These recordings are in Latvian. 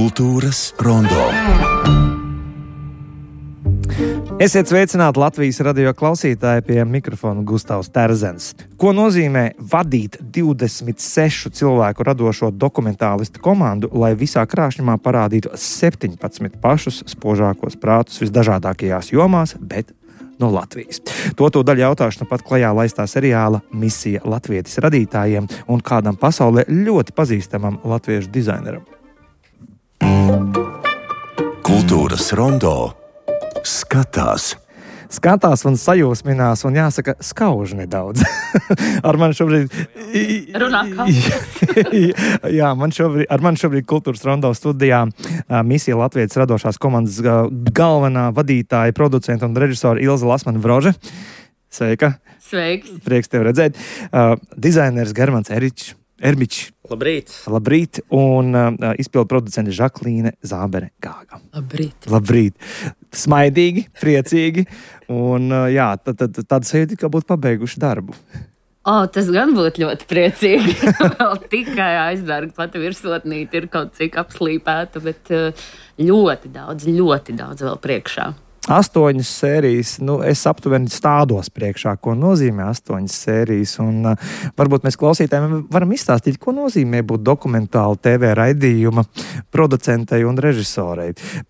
Kultūras rondo. Esiet sveicināti Latvijas radio klausītāji, pie mikrofona Gustavs Terzens. Ko nozīmē vadīt 26 cilvēku radošo dokumentālistu komandu, lai visā krāšņumā parādītu 17 pašus spožākos prātus visdažādākajās jomās, bet no Latvijas? To daļu jautāšu pat klajā laistā seriāla Misija Latvietis radītājiem un kādam pasaulē ļoti pazīstamam latviešu dizaineram. Kultūras rondo skatās un sajūsminās, un jāsaka, skauž nedaudz. Ar mani šobrīd... Runā kā? Jā, ar mani šobrīd Kultūras rondo studijā Misija Latvietis radošās komandas galvenā vadītāja, producenta un režisora Ilze Lasmane-Vrože. Sveika! Sveiks! Prieks tevi redzēt. Dizainers Germans Ermičs. Labrīt. Un izpildu producente Žaklīne Zābere-Gāga. Labrīt. Smaidīgi, priecīgi. Un jā, tāda sajūta, ka būtu pabeiguši darbu. Tas gan būtu ļoti priecīgi. Vēl tikai aizbērga pati virsotnīte ir kaut cik apslīpēta, bet ļoti daudz vēl priekšā. 8 sērijas, es aptuveni stādos priekšā, ko nozīmē 8 sērijas, un varbūt mēs klausītājiem varam izstāstīt, ko nozīmē būt dokumentāla TV raidījuma producentei un režisorei.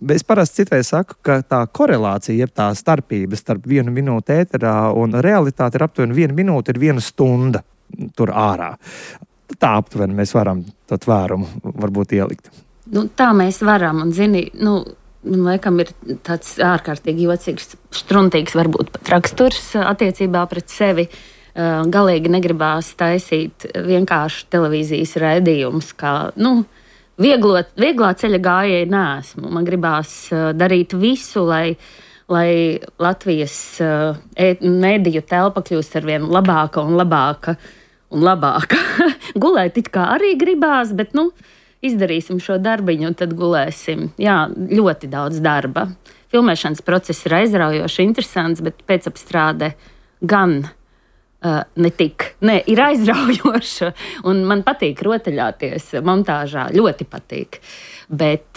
Es parasti citreiz saku, ka tā korelācija, jeb tā starpība starp 1 minūti ēterā un realitāte ir aptuveni 1 minūte, ir 1 stunda tur ārā. Tā aptuveni mēs varam to tvērumu varbūt ielikt. Tā mēs varam, un zini, man laikam ir tāds ārkārtīgi jocīgs, štruntīgs varbūt pat raksturs attiecībā pret sevi. Galīgi negribās taisīt vienkārši televīzijas raidījumus, kā, vieglā ceļa gājēji neesmu. Man gribās darīt visu, lai Latvijas mediju telpa kļūst arvien labāka un labāka un labāka. Gulēt it kā arī gribās, bet, izdarīsim šo darbiņu un tad gulēsim. Jā, ļoti daudz darba. Filmēšanas process ir aizraujoši, interesants, bet pēcapstrāde gan ir aizraujoša. Un man patīk rotaļāties montāžā, ļoti patīk. Bet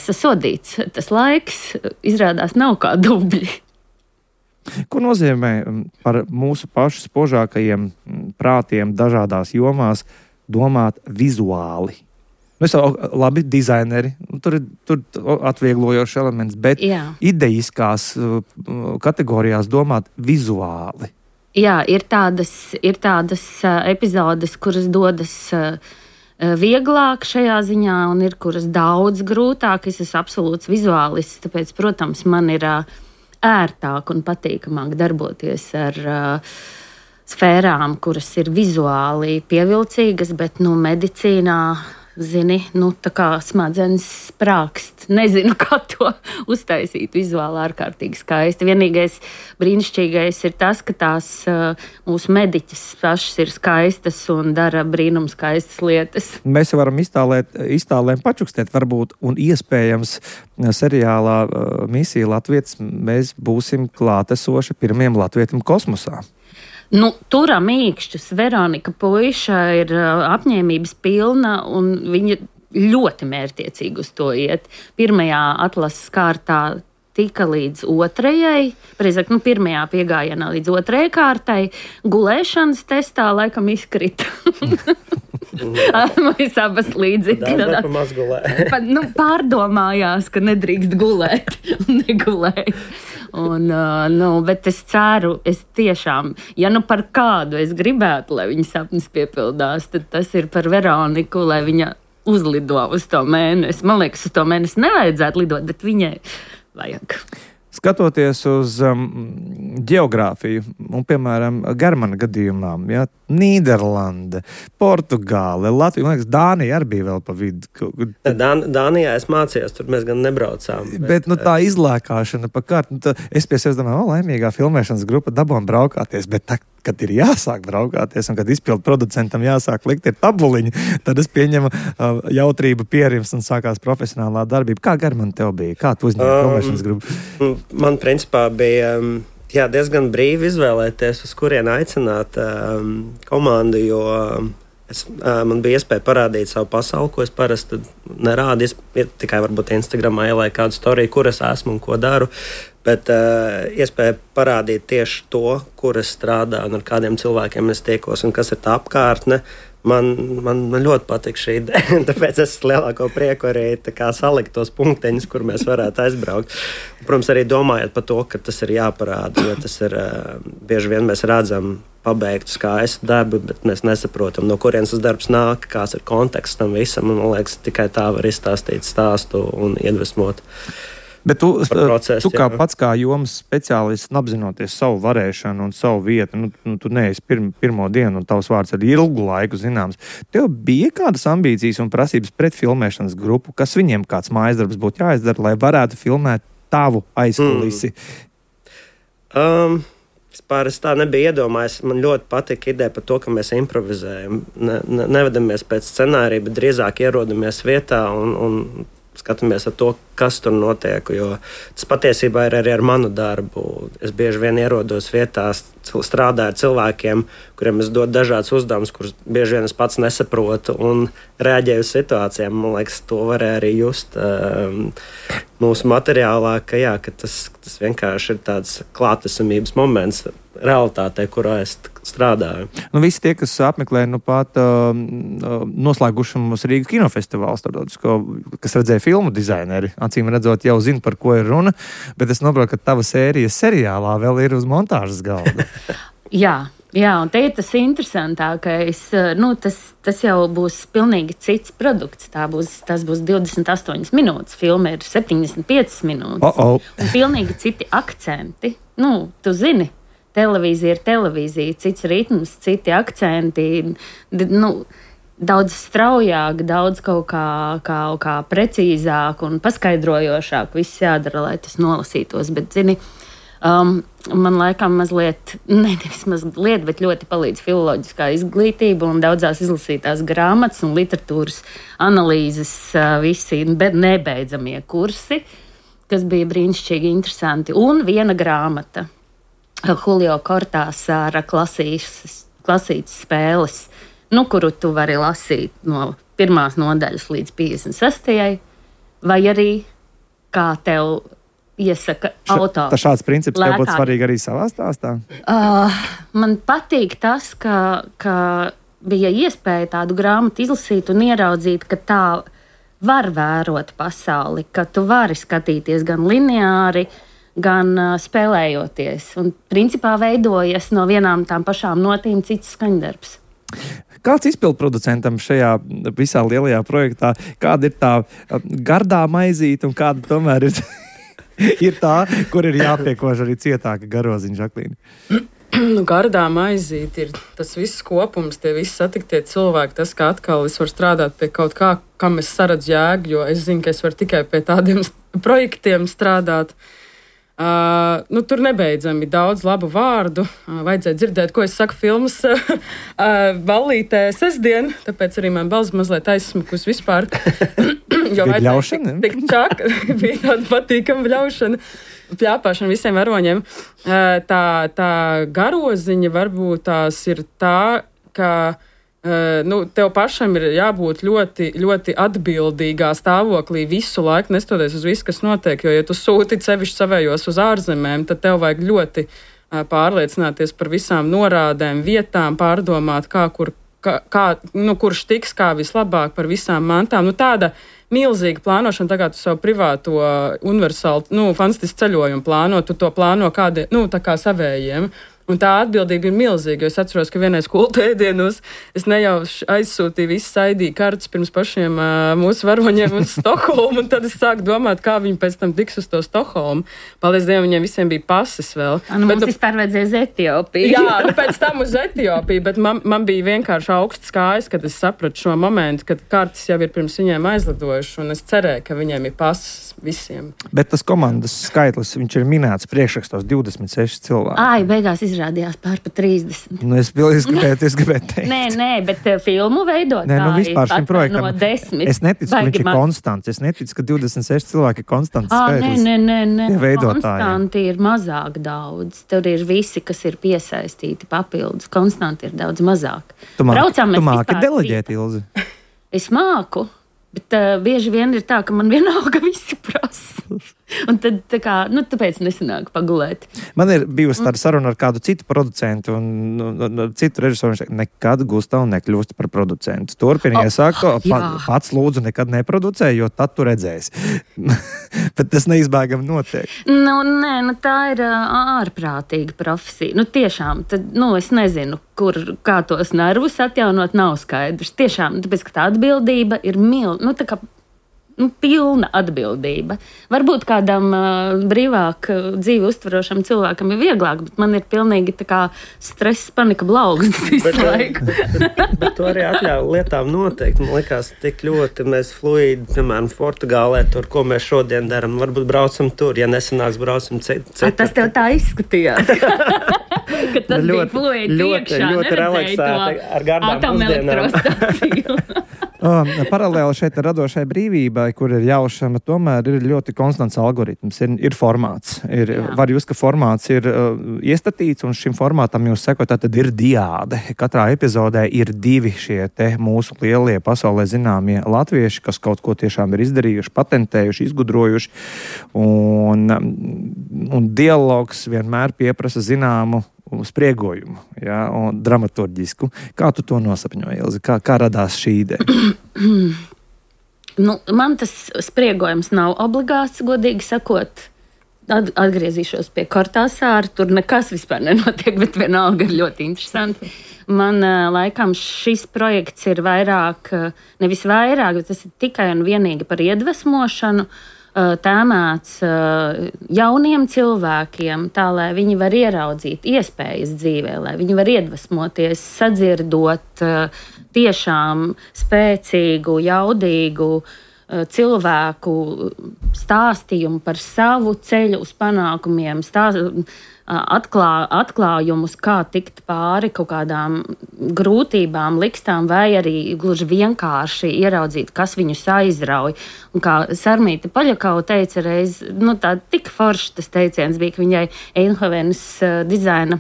sasodīts tas laiks izrādās nav kā dubļi. Ko nozīmē par mūsu pašu spožākajiem prātiem dažādās jomās domāt vizuāli? Labi, dizaineri, tur atvieglojošs elements, bet idejiskās kategorijās domāt vizuāli. Jā, ir tādas epizodes, kuras dodas vieglāk šajā ziņā, un ir kuras daudz grūtāk. Es esmu absolūts vizuālists, tāpēc, protams, man ir ērtāk un patīkamāk darboties ar sfērām, kuras ir vizuāli pievilcīgas, bet medicīnā, zini, tā kā smadzenes sprākst. Nezinu, kā to uztaisīt vizuāli ārkārtīgi skaisti. Vienīgais brīnišķīgais ir tas, ka tās mūsu mediķis pašas ir skaistas un dara brīnums skaistas lietas. Mēs varam iztālēm pačukstēt varbūt, un iespējams seriālā Misija Latvietis mēs būsim klātesoši pirmiem latvietim kosmosā. Turam īkšķus. Veronika Puiša ir apņēmības pilna, un viņa ļoti mērķiecīgi uz to iet. Pirmajā atlases kārtā tika līdz 2. Precīzāk, pirmajā piegājienā līdz 2. kārtai. Gulēšanas testā laikam izkrita. Mēs abas līdzi. Pārdomājās, ka nedrīkst gulēt un negulēja. Bet es ceru, es tiešām, ja par kādu es gribētu, lai viņa sapnis piepildās, tad tas ir par Veroniku, lai viņa uzlido uz to mēnesi. Man liekas, uz to mēnesi nevajadzētu lidot, bet viņai vajag. Skatoties uz ģeogrāfiju, un, piemēram, Germana gadījumā, Nīderlande, Portugāle, Latvija, man liekas, Dānija arī bija vēl pa vidu. Dānijā es mācījos, tur mēs gan nebraucām. Bet tā izlēkāšana pa kārtu, es pie sevis domāju, laimīgā filmēšanas grupa dabūna braukāties, bet kad ir jāsāk braukāties un kad izpildu producentam jāsāk likt ir tabuliņi, tad es pieņemu jautrību pierims un sākās profesionālā darbība. Kā Germana tev bija? Kā tu uzņēmi filmēšanas grupu? Man principā bija diezgan brīvi izvēlēties, uz kurien aicināt komandu, jo Man bija iespēja parādīt savu pasauli, ko es parasti nerādu. Tikai varbūt Instagramā ielaiku kādu storiju, kur es esmu un ko daru. Bet iespēja parādīt tieši to, kur es strādāju un ar kādiem cilvēkiem es tiekos un kas ir tā apkārtne. Man ļoti patīk šī ideja. Tāpēc es lielāko prieku arī salikt tos punkteņus, kur mēs varētu aizbraukt. Protams, arī domājot par to, ka tas ir jāparāda. Jo tas ir bieži vien mēs redzam pabeigtu skaistu darbu, bet mēs nesaprotam, no kurienes tas darbs nāk, kāds ir konteksts tam visam. Man liekas, tikai tā var izstāstīt stāstu un iedvesmot. Bet tu kā pats kā jomas speciālists, apzinoties savu varēšanu un savu vietu, tu neesi pirmo dienu un tavs vārds ir ilgu laiku zināms. Tev bija kādas ambīcijas un prasības pret filmēšanas grupu, kas viņiem kāds mājasdarbs būtu jāizdara, lai varētu filmēt tavu aizkulisi? Es tā nebija iedomājies. Man ļoti patika ideja par to, ka mēs improvizējam. Nevedamies pēc scenārija, bet drīzāk ierodamies vietā un skatāmies ar to, kas tur notiek. Jo tas patiesībā ir arī ar manu darbu. Es bieži vien ierodos vietās, strādāju ar cilvēkiem, kuriem es dodu dažādas uzdevumus, kurus bieži vien es pats nesaprotu un reaģēju uz situācijām. Man liekas, to varēja arī just mūsu materiālā, ka tas vienkārši ir tāds klātesamības moments realitātē, kurā es strādāju. Visi tie, kas apmeklē pat noslēguši mums Rīgas kinofestivāls, kas redzēja filmu dizaineri, acīm redzot, jau zina, par ko ir runa, bet es noprotu, ka tava sērija seriālā vēl ir uz montāžas galda. Jā, un te ir tas interesantākais. Tas jau būs pilnīgi cits produkts. Tas būs 28 minūtes. Filma ir 75 minūtes. Un pilnīgi citi akcenti. Tu zini, televīzija ir televīzija, cits ritms, citi akcenti. Daudz straujāk, daudz kaut kā precīzāk un paskaidrojošāk viss jādara, lai tas nolasītos. Bet, zini, man laikam mazliet, bet ļoti palīdz filoloģiskā izglītība un daudzās izlasītās grāmatas un literatūras analīzes, visi nebeidzamie kursi, kas bija brīnišķīgi interesanti. Un viena grāmata, Julio Cortázara klasītas spēles, kuru tu vari lasīt no 1. nodaļas līdz 56. vai arī kā tev iesaka autors. Šāds princips tev būtu svarīgi arī savā stāstā? Man patīk tas, ka bija iespēja tādu grāmatu izlasīt un ieraudzīt, ka tā var vērot pasauli, ka tu vari skatīties gan lineāri, gan spēlējoties. Un principā veidojas no vienām tām pašām notīm cits skaņdarbs. Kāds izpildproducentam šajā visā lielajā projektā, kāda ir tā gardā maizīte un kāda tomēr ir tā, kur ir jāpiekož arī cietāka garoziņa, Žaklīna? Gardā maizīte ir tas viss kopums, tie visi satiktie cilvēki, tas, ka atkal es varu strādāt pie kaut kā, kam es saredzu jēgu, jo es zinu, ka es varu tikai pie tādiem projektiem strādāt. Tur nebeidzami daudz labu vārdu. Vajadzēja dzirdēt, ko es saku filmas ballītē sestdien, tāpēc arī man balss mazliet aizsmukus vispār. Jo vajadzēja tik čak, bija tāda patīkama bļaušana, pļāpāšana visiem varoņiem. Tā garoziņa varbūt tās ir tā, ka tev pašam ir jābūt ļoti, ļoti atbildīgā stāvoklī visu laiku, nestoties uz visu, kas notiek. Jo, ja tu sūti sevišķi savējos uz ārzemēm, tad tev vajag ļoti pārliecināties par visām norādēm, vietām, pārdomāt, kurš tiks kā vislabāk par visām mantām. Tāda milzīga plānošana, tā kā tu savu privāto universālu, fantastisku ceļojumu plāno, tu to plāno tā kā savējiem. Un tā atbildība ir milzīga, jo es atceros, ka vienais kultēdienos es nejauši aizsūtīju visas ID kartes pirms pašiem mūsu varoņiem uz Stokholmu, un tad es sāku domāt, kā viņi pēc tam tiks uz to Stokholmu. Paldies Dievam, viņiem visiem bija pases vēl. Mums vispār vajadzēja uz Etiopiju. Jā, pēc tam uz Etiopiju, bet man bija vienkārši augsts kājas, kad es sapratu šo momentu, kad kartes jau ir pirms viņiem aizlidojuši, un es cerēju, ka viņiem ir pases visiem. Bet tas komandas skaitlis, viņš ir minēts priekšrakstos 26 cilvēki. Beigās izrādījās pār pa 30. Nu, es gribēju teikt. Nē, bet filmu veidotāji Nē, vispār šim projektam. No 10. Es neticu, ka viņš ir konstants. Es neticu, ka 26 cilvēki ir konstants skaitlis. Nē. Veidotāji. Konstanti ir mazāk daudz. Tur ir visi, kas ir piesaistīti papildus. Konstanti ir daudz mazāk. Tu māki deleģēt, Ilzi? Es māku. Bet bieži vien ir tā, ka man vienalga visi prasa. Un tad tāpēc nesanāk pagulēt. Man ir bijusi tāda saruna ar kādu citu producentu un citu režisoru. Viņš teica, nekad Gustav nekļūst par producentu. Turpinies sākt, pats lūdzu nekad neproducē, jo tad tu redzēsi. Bet tas neizbēgami notiek. Tā ir ārprātīga profesija. Tiešām, tad, es nezinu, kā tos nervus atjaunot, nav skaidrs. Tiešām, tāpēc, ka tā atbildība ir pilna atbildība. Varbūt kādam brīvāk dzīvi uztverošam cilvēkam ir vieglāk, bet man ir pilnīgi tā kā stress, panika, blaugsmes visu laiku. Bet to arī atļauj lietām noteikti. Man liekas, tik ļoti mēs fluidi, piemēram, Portugālē, tur, ko mēs šodien darām, varbūt braucam tur, ja nesanāks, braucam citur. Tas tev tā izskatījās. Ka tas bija fluidi iekšā, ļoti relaksēti ar gardām pusdienām. Paralēli šeit ar radošai brīvībai, kur ir jaušana, tomēr ir ļoti konstants algoritms, ir formāts. Var jūs, ka formāts ir iestatīts, un šim formātam jūs sekot, tad ir diāde. Katrā epizodē ir 2 šie te mūsu lielie pasaulē zināmie latvieši, kas kaut ko tiešām ir izdarījuši, patentējuši, izgudrojuši, un dialogs vienmēr pieprasa zināmu spriegojumu, un dramaturģisku. Kā tu to nosapņoji, Ilzi? Kā radās šī ideja? Man tas spriegojums nav obligāts, godīgi sakot. Atgriezīšos pie Kortāsāra. Tur nekas vispār nenotiek, bet vienalga ir ļoti interesanti. Man laikam šis projekts ir nevis vairāk, bet tas ir tikai un vienīgi par iedvesmošanu, tēmēts jauniem cilvēkiem, tā lai viņi var ieraudzīt iespējas dzīvē, lai viņi var iedvesmoties, sadzirdot tiešām spēcīgu, jaudīgu cilvēku stāstījumu par savu ceļu uz panākumiem, atklājumus, kā tikt pāri kaut kādām grūtībām, likstām, vai arī gluži vienkārši ieraudzīt, kas viņus aizrauj. Un kā Sarmīta Paļakau teica reiz, tā tik forši tas teiciens bija, ka viņai Eindhovenas dizaina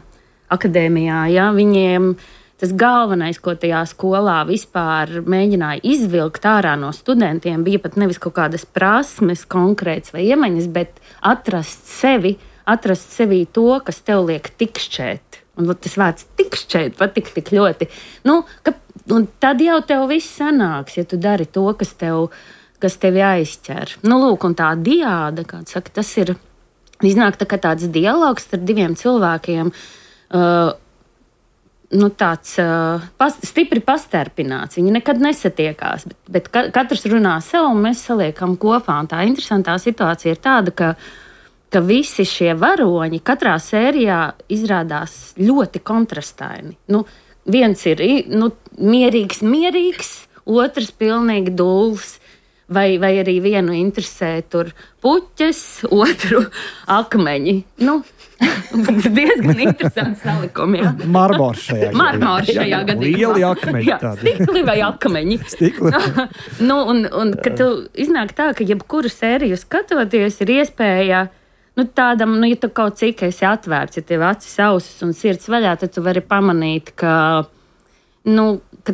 akadēmijā, viņiem tas galvenais, ko tajā skolā vispār mēģināja izvilkt ārā no studentiem, bija pat nevis kaut kādas prasmes konkrētas vai iemaņas, bet atrast sevī to, kas tev liek tikšķēt. Un tas vārds tikšķēt patīk tik ļoti. Un tad jau tev viss sanāks, ja tu dari to, kas tevi aizķer. Un tā diāde, kā saka, tas ir iznāk tā kā tāds dialogs starp 2 cilvēkiem, tāds stipri pastarpināts. Viņi nekad nesatiekās, bet katrs runā sev, un mēs saliekam kopā. Un tā interesantā situācija ir tāda, ka visi šie varoņi katrā sērijā izrādās ļoti kontrastaini. Viens ir mierīgs, otrs pilnīgi dulls. Vai arī vienu interesē tur puķes, otru akmeņi. Diezgan interesants salikumi. Marmors šajā gadījumā. Lieli akmeņi. Stikli vai akmeņi. Un kad tu iznāk tā, ka jebkuru sēriju skatoties ir iespēja tādam, ja tu kaut cik esi atvērts, ja tev acis, ausis un sirds vaļā, tad tu vari pamanīt, ka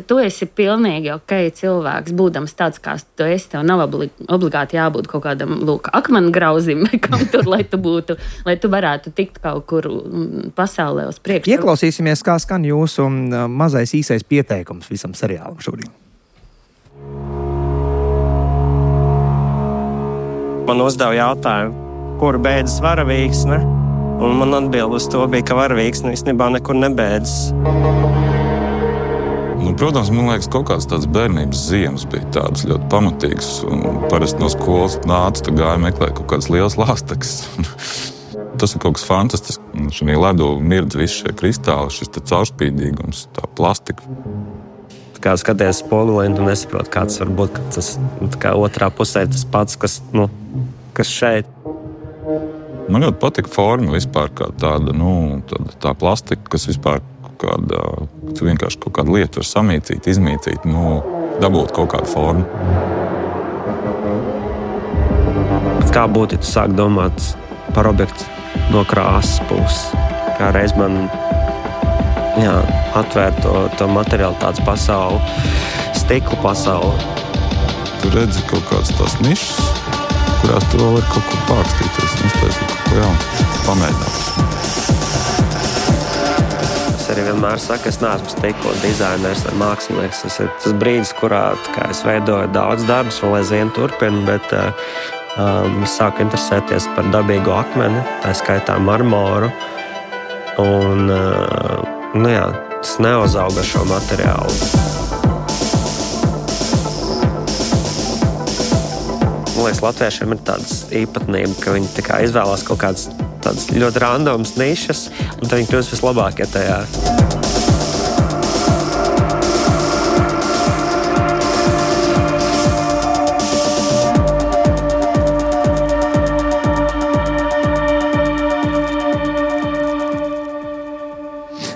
tu esi pilnīgi cilvēks, būdams tāds, kāds tu esi. Tev nav obligāti jābūt kaut kādam akmengrauzim, kam tur, lai tu varētu tikt kaut kur pasaulē uz priekšu. Ieklausīsimies, kā skan jūsu mazais īsais pieteikums visam seriālam šodien. Man uzdeva jautājumu, kur beidzas varavīksne, un man atbild uz to bija, ka varavīksne īstenībā nekur nebeidzas. Protams, man liekas, kaut kāds tāds bērnības ziemas bija tādas ļoti pamatīgas, un parasti no skolas nāca, gāja meklēt kaut kādas lielas lāstekas. Tas ir kaut kas fantastisks. Šajā ledu mirdz visi šie kristāli, šis caurspīdīgums, tā plastika. Kā skaties spogulī, un tu nesaproti, kā tas var būt, ka tas otrā pusē tas pats, kas šeit. Man ļoti patika forma vispār, kā tāda, tā plastika, kas vispār vienkārši kaut kādu lietu var samīcīt, izmīcīt, dabūt kaut kādu formu. Kā būtu, ja tu sāk domāt par objektu no krāsas puses? Kā reiz man atvēr to materiālitātes pasauli, stikla pasauli. Tu redzi kaut kādas tās nišas, kurās tu vēl var kaut ko pārkstīties, uztaisīt kaut ko jaunu, pamēģināt. Es arī vienmēr saku, es neesmu stikla dizainers vai mākslinieks. Tas ir tas brīdis, kurā es veidoju daudz darbus, vēl aizvien turpinu, bet es sāku interesēties par dabīgo akmeni, tā skaitā marmoru. Un, es neuzaugu ar šo materiālu. Man liekas, latviešiem ir tādas īpatnība, ka viņi tā kā izvēlās kaut kādas tādas ļoti randomas nišas, un tad viņi kļūst vislabākie tajā.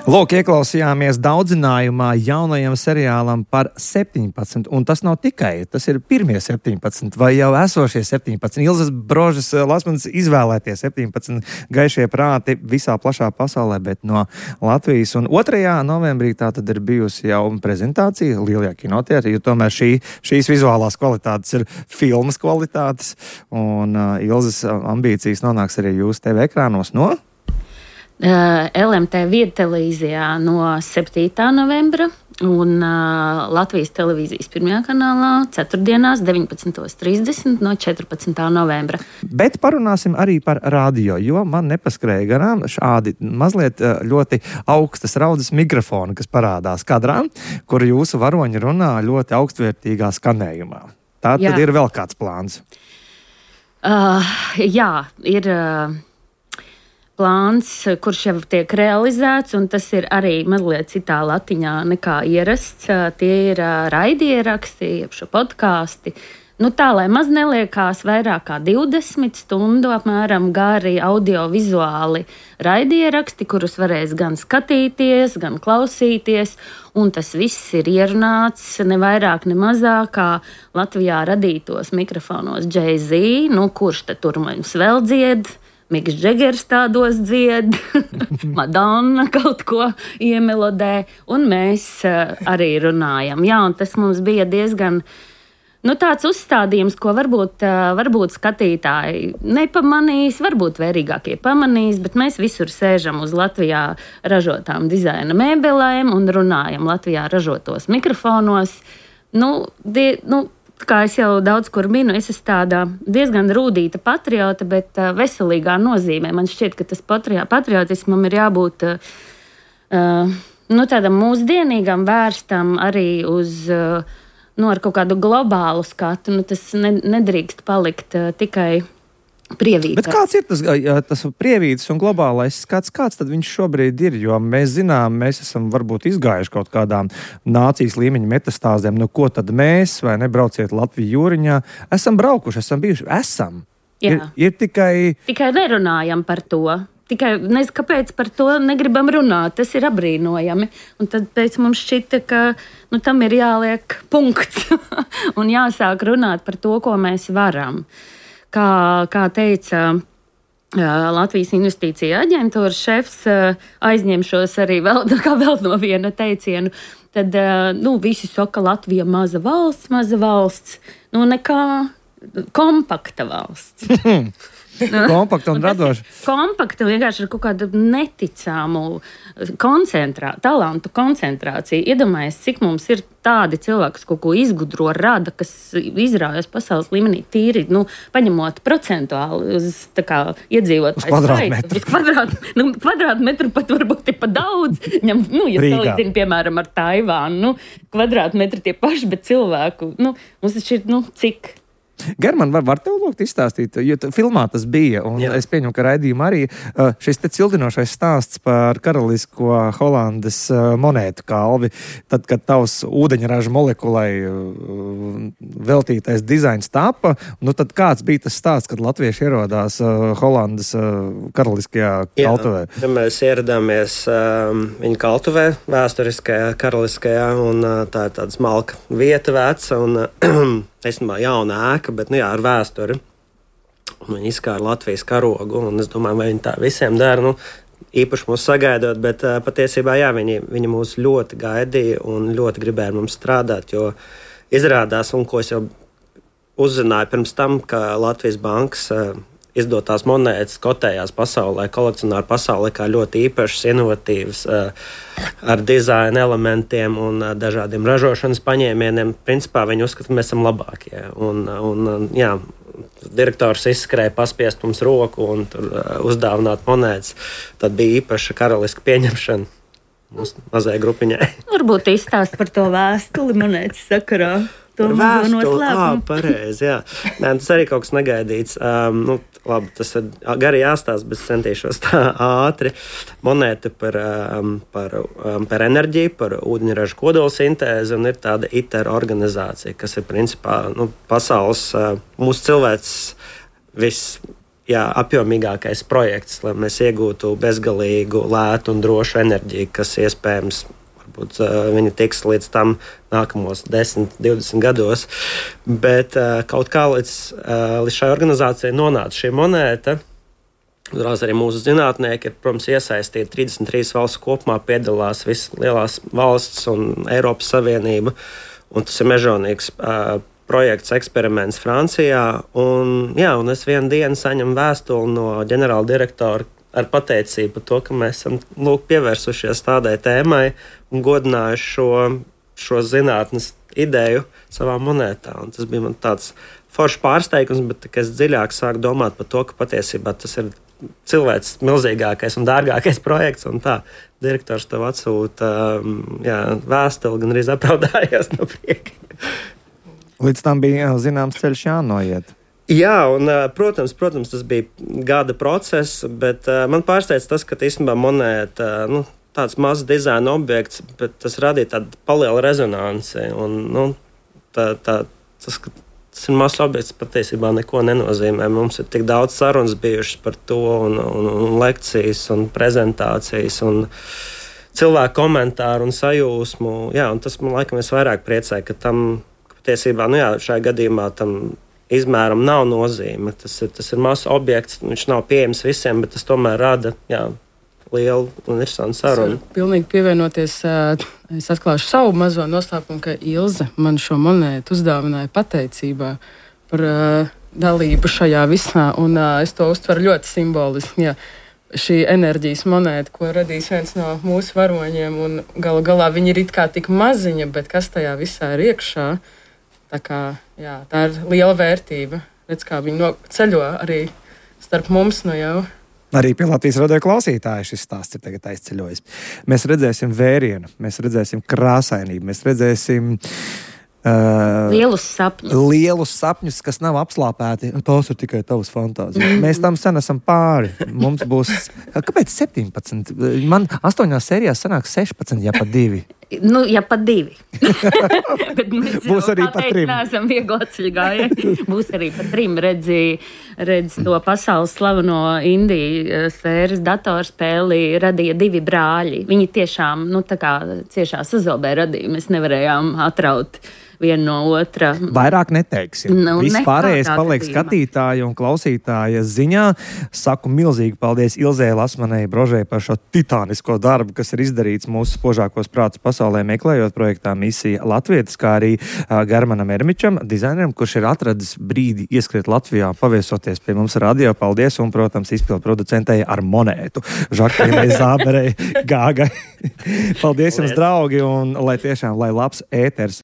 Lūk, ieklausījāmies daudzinājumā jaunajam seriālam par 17, un tas nav tikai, tas ir pirmie 17, vai jau esošie 17. Ilzas Brožas Lasmanis izvēlētie 17 gaišie prāti visā plašā pasaulē, bet no Latvijas. Un 2. novembrī tā tad ir bijusi jau prezentācija Lielajā kinoteātrī, jo tomēr šīs vizuālās kvalitātes ir filmas kvalitātes, un Ilzas ambīcijas nonāks arī jūsu TV ekrānos no? LMT viedtelevīzijā no 7. novembra un Latvijas televīzijas 1. kanālā ceturtdienās 19:30 no 14. novembra. Bet parunāsim arī par radio, jo man nepaskrēja garām šādi mazliet ļoti augstas raudas mikrofoni, kas parādās kadrā, kur jūsu varoņi runā ļoti augstvērtīgā skanējumā. Tā tad ir vēl kāds plāns? Jā, ir plāns, kurš jau tiek realizēts, un tas ir arī mazliet citā latiņā nekā ierasts. Tie ir raidieraksti, jeb šo podkāsti. Tā, lai maz neliekās vairāk kā 20 stundu apmēram gari audiovizuāli raidieraksti, kurus varēs gan skatīties, gan klausīties, un tas viss ir ierunāts ne vairāk, ne mazāk kā Latvijā radītos mikrofonos Jay-Z, kurš tad tur mums vēl dzied. Miks Džegers tādos dzied, Madonna kaut ko iemelodē, un mēs arī runājam. Jā, un tas mums bija diezgan tāds uzstādījums, ko varbūt skatītāji nepamanīs, varbūt vērīgākie pamanīs, bet mēs visur sēžam uz Latvijā ražotām dizaina mēbelēm un runājam Latvijā ražotos mikrofonos. Kā es jau daudz kur minu, es esmu tāda diezgan rūdīta patriota, bet veselīgā nozīmē. Man šķiet, ka tas patriotismam ir jābūt tādam mūsdienīgam, vērstam arī uz ar kaut kādu globālu skatu. Tas nedrīkst palikt tikai prievītā. Bet kāds ir tas prievītis un globālais skats? Kāds tad viņš šobrīd ir? Jo mēs zinām, mēs esam varbūt izgājuši kaut kādām nācijas līmeņa metastāzēm. Ko tad mēs, vai nebrauciet Latviju jūriņā? Esam braukuši, esam bijuši. Esam. Ir tikai... Tikai nerunājam par to. Tikai nezinu, kāpēc par to negribam runāt. Tas ir apbrīnojami. Un tad pēc mums šķita, ka tam ir jāliek punkts un jāsāk runāt par to, ko mēs varam. Kā teica Latvijas investīcija aģentūras šefs, aizņemšos arī vēl no viena teicienu, tad visi saka, Latvija maza valsts, nekā kompakta valsts. Kompakta un radoša. Kompakta vienkārši ar kaut kādu neticamu talantu koncentrāciju. Iedomājies, cik mums ir tādi cilvēki, kas kaut ko izgudro, rada, kas izraujas pasaules līmenī tīri, paņemot procentuāli uz iedzīvotāju skaitu. Uz kvadrātmetru pat varbūt ir pa daudz. Ja salīdzina, piemēram, ar Taivānu, kvadrātmetri tie paši, bet cilvēku, mums taču ir, cik? German, var tev lūgt izstāstīt, jo filmā tas bija, un es pieņemu, ka raidījumā arī šis te cildinošais stāsts par karalisko Holandes monētu kalvi, tad, kad tavs ūdeņraža molekulai veltītais dizains tapa, nu tad kāds bija tas stāsts, kad latvieši ierodās Holandes karaliskajā kaltuvē? Jā, mēs ieradāmies viņa kaltuvē, vēsturiskajā, karaliskajā, un tā ir tāda smalka vieta veca, un īstenībā jauna ēka, bet ar vēsturi. Viņi izkāra Latvijas karogu, un es domāju, vai viņi tā visiem dara, īpaši mūs sagaidot, bet patiesībā, viņi mūs ļoti gaidīja un ļoti gribēja mums strādāt, jo izrādās, un ko es jau uzzināju pirms tam, ka Latvijas bankas izdotās monētas kotējās pasaulē, kolekcionāru pasaulē, kā ļoti īpašas, inovatīvas, ar dizaina elementiem un dažādiem ražošanas paņēmieniem. Principā viņi uzskata, ka mēs esam labākie. Direktors izskrēja paspiest mums roku un tur uzdāvināt monētas. Tad bija īpaša karaliska pieņemšana mūsu mazajai grupiņai. Varbūt izstāst par to vēstuli monētas sakarā. To vēstuli, pareizi, jā. Nē, tas arī kaut kas negaidīts. Labi, tas ir gari jāstāsta, bet centīšos tā ātri. Monēta par enerģiju, par ūdeņraža kodolsintēzi, un ir tāda ITER organizācija, kas ir principā pasaules, mūsu cilvēks apjomīgākais projekts, lai mēs iegūtu bezgalīgu, lētu un drošu enerģiju, kas iespējams viņi tiks līdz tam nākamos 10, 20 gados. Bet kaut kā līdz šai organizācijai nonāca šī monēta. Uzreiz arī mūsu zinātnieki ir, protams, iesaistīti. 33 valsts kopumā piedalās visas lielās valsts un Eiropas Savienība. Un tas ir mežonīgs projekts, eksperiments Francijā. Un es vienu dienu saņemu vēstuli no ģenerāla direktora ar pateicību par to, ka mēs esam pievērsušies tādai tēmai un godinājuši šo zinātnes ideju savā monētā. Un tas bija man tāds foršs pārsteigums, bet es dziļāk sāku domāt par to, ka patiesībā tas ir cilvēks milzīgākais un dārgākais projekts. Un tā direktors tev atsūta vēstuli, gan arī apraudājās no prieka. Līdz tam bija zināms ceļš jānoiet. Jā, un, protams, tas bija gada process, bet man pārsteidz tas, ka īstenībā monēta, tāds mazs dizaina objekts, bet tas radīja tādu palielu rezonanci. Un, tas ir mazs objekts, patiesībā neko nenozīmē. Mums ir tik daudz sarunas bijušas par to, un lekcijas, un prezentācijas, un cilvēku komentāru un sajūsmu. Jā, un tas man laikam vairāk priecē, ka tam patiesībā, šajā gadījumā tam izmēram nav nozīme. Tas ir mazs objekts, viņš nav pieejams visiem, bet tas tomēr rada lielu un interesantu sarunu. Pilnīgi pievienoties, es atklāšu savu mazo noslēpumu, ka Ilze man šo monētu uzdāvināja pateicībā par dalību šajā visā, un es to uztveru ļoti simboliski. Jā. Šī enerģijas monēta, ko radīs viens no mūsu varoņiem, un galu galā viņi ir it kā tik maziņa, bet kas tajā visā ir iekšā? Tā ir liela vērtība. Redz, kā viņi ceļo arī starp mums jau. Arī pie Latvijas radio klausītāja šis stāsts ir tagad aizceļojis. Mēs redzēsim vērienu, mēs redzēsim krāsainību, mēs redzēsim lielus sapņus, kas nav apslāpēti. Tās ir tikai tavas fantāzijas. Mēs tam sen esam pāri. Mums būs, kāpēc 17? Man 8 sērijās sanāk 16, ja pa 2. Ja pa 2. Būs arī pa 3. Neesam viegli atceļgāji. Būs arī pa 3. Redz to pasaules slaveno Indiju sfēras datorspēli radīja 2 brāļi. Viņi tiešām, tā kā ciešā sazobē radīja. Mēs nevarējām atraut viena no otra. Vairāk neteiksim. Viss pārējais paliek skatītāja un klausītāja ziņā. Saku milzīgi paldies Ilzei Lasmanai Brožai par šo titānisko darbu, kas ir izdarīts mūsu spožākos prātus pasaulē meklējot projektā Misija Latvietis, kā arī Germanam Ermičam, dizaineram, kurš ir atradis brīdi ieskriet Latvijā, paviesoties pie mums radio. Paldies un, protams, izpildu producentei ar monētu. Žaklīnai Zāberei, Gāgai. Paldies jums, draugi, un lai labs ēters